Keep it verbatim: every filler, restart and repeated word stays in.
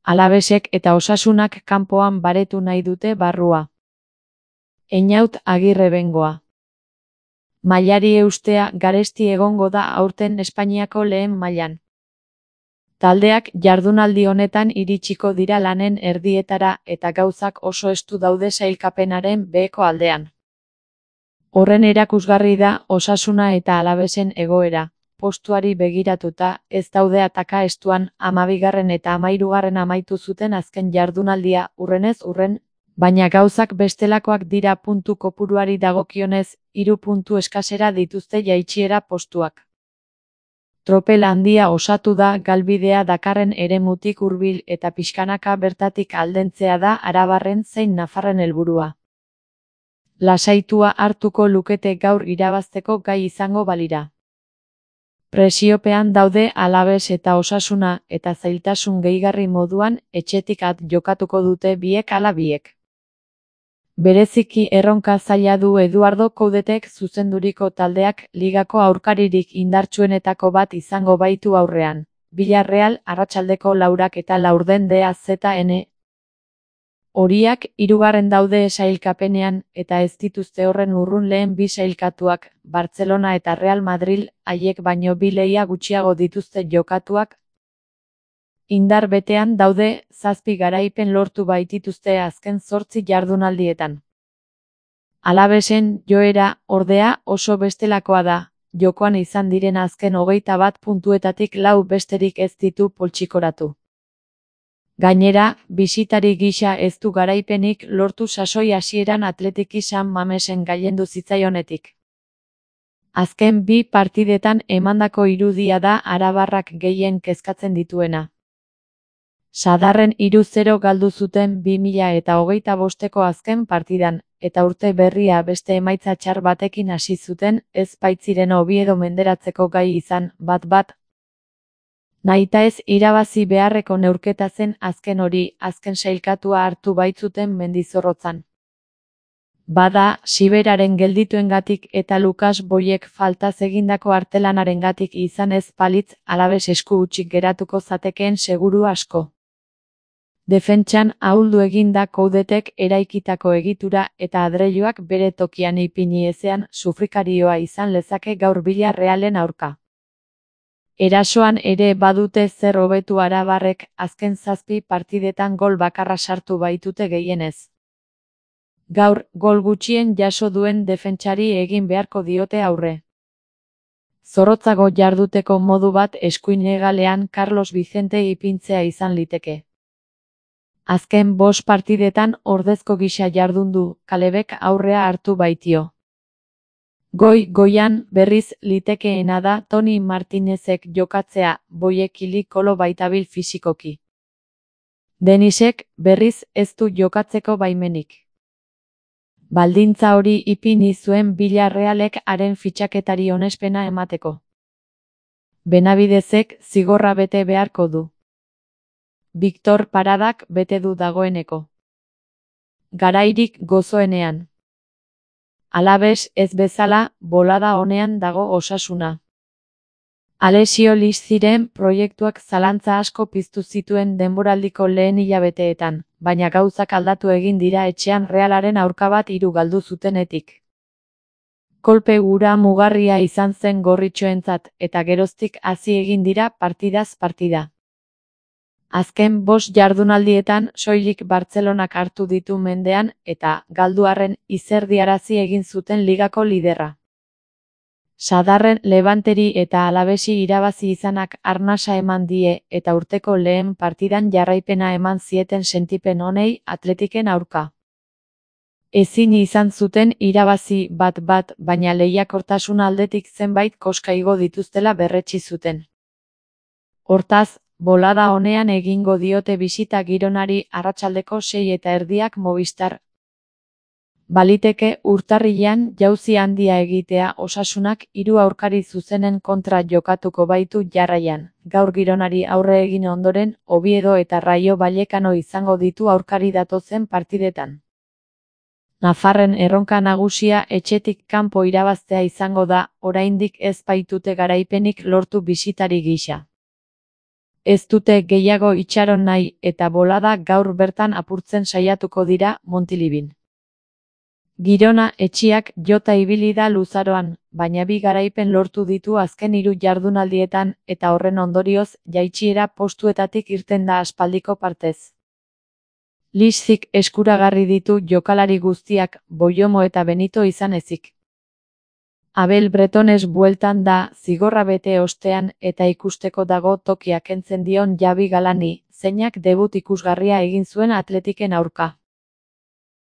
Alabesek eta Osasunak kanpoan baretu nahi dute barrua. Einaut Agirre Bengoa. Mailari eustea garesti egongo da aurten Espainiako lehen mailan. Taldeak jardunaldi honetan iritsiko dira lanen erdietara eta gauzak oso estu daude sailkapenaren beheko aldean. Horren erakusgarri da Osasuna eta Alabesen egoera. Postuari begiratuta ez daude ataka estuan, hamabigarren eta hamahirugarren amaitu zuten azken jardunaldia hurrenez hurren, baina gauzak bestelakoak dira puntu kopuruari dagokionez, hiru puntu eskasera dituzte jaitsiera postuak. Tropel handia osatu da galbidea dakarren eremutik hurbil eta pixkanaka bertatik aldentzea da arabarren zein nafarren helburua. Lasaitua hartuko lukete gaur irabazteko gai izango balira. Presiopean daude Alabes eta Osasuna eta zailtasun gehigarri moduan etxetik at jokatuko dute biek ala biek. Bereziki erronka zaila du Eduardo Coudetek zuzenduriko taldeak ligako aurkaririk indartsuenetako bat izango baitu aurrean. Villarreal arratsaldeko laurak eta laurden D A Z N. Horiak hirugarren daude sailkapenean eta ez dituzte horren urrun lehen bi sailkatuak, Barcelona eta Real Madrid, haiek baino bi lehia gutxiago dituzte jokatuak. Indar betean daude, zazpi garaipen lortu baitituzte azken zortzi jardunaldietan. Alabesen joera, ordea, oso bestelakoa da, jokoan izan diren azken hogeita bat puntuetatik lau besterik ez ditu poltsikoratu. Gainera, bisitari gisa ez du garaipenik lortu sasoi hasieran Atletiki San Mamesen gailendu zitzaionetik. Azken bi partidetan emandako irudia da arabarrak gehien kezkatzen dituena. Sadarren hiru zero galdu zuten bi mila eta hogeita bosteko azken partidan, eta urte berria beste emaitza txar batekin hasi zuten, ez baitziren Oviedo menderatzeko gai izan, bat bat. Nahita ez irabazi beharreko neurketa zen azken hori, azken sailkatua hartu baitzuten Mendizorrotzan. Bada, Siberaren geldituengatik eta Lukas Boyek faltaz egindako artelanarengatik izan ez balitz Alabes esku hutsik geratuko zatekeen seguru asko. Defentsan ahuldu eginda Coudetek eraikitako egitura eta adreiluak bere tokian ipini ezean sufrikarioa izan lezake gaur Villarrealen aurka. Erasoan ere badute zer hobetu arabarrek azken zazpi partidetan gol bakarra sartu baitute gehienez. Gaur, gol gutxien jaso duen defentsari egin beharko diote aurre. Zorrotzago jarduteko modu bat eskuin hegalean Carlos Vicente ipintzea izan liteke. Azken bost partidetan ordezko gisa jardundu, Kalebek aurrea hartu baitio. Goi-goian berriz litekeena da Toni Martinezek jokatzea, Boyekili kolo baitabil fisikoki. Denisek berriz ez du jokatzeko baimenik. Baldintza hori ipini zuen Villarrealek haren fitxaketari onespena emateko. Benabidezek zigorra bete beharko du. Victor Paradak bete du dagoeneko. Garairik gozoenean. Alabes ez bezala, bolada honean dago Osasuna. Alessio Liziren proiektuak zalantza asko piztu zituen denboraldiko lehen hilabeteetan, baina gauzak aldatu egin dira etxean Realaren aurka bat hiru galdu zutenetik. Kolpe hura mugarria izan zen gorritxoentzat eta geroztik hasi egin dira partidaz partida. Azken bost jardunaldietan soilik Bartzelonak hartu ditu mendean eta galduarren izerdiarazi egin zuten ligako liderra. Sadarren Levanteri eta Alabesi irabazi izanak arnasa eman die eta urteko lehen partidan jarraipena eman zieten sentipen honei Atletiken aurka. Ezin izan zuten irabazi bat bat, baina lehiakortasun aldetik zenbait koska igo dituztela berretsi zuten. Hortaz, bolada honean egingo diote bisita Gironari arratsaldeko sei eta erdiak Movistar. Baliteke urtarrilean jauzi handia egitea Osasunak hiru aurkari zuzenen kontra jokatuko baitu jarraian. Gaur Gironari aurre egin ondoren, Oviedo eta Rayo Vallecano izango ditu aurkari datozen partidetan. Nafarren erronka nagusia etxetik kanpo irabaztea izango da, oraindik ez baitute garaipenik lortu bisitari gisa. Ez dute gehiago itxaron nahi eta bolada gaur bertan apurtzen saiatuko dira Montilibin. Girona etxiak jota ibili da luzaroan, baina bi garaipen lortu ditu azken hiru jardunaldietan eta horren ondorioz jaitsiera postuetatik irten da aspaldiko partez. Lixzik eskuragarri ditu jokalari guztiak, Boiomo eta Benito izan ezik. Abel Bretones bueltan da, zigorra bete ostean eta ikusteko dago tokia kentzen dion Javi Galani, zeinak debut ikusgarria egin zuen Atletiken aurka.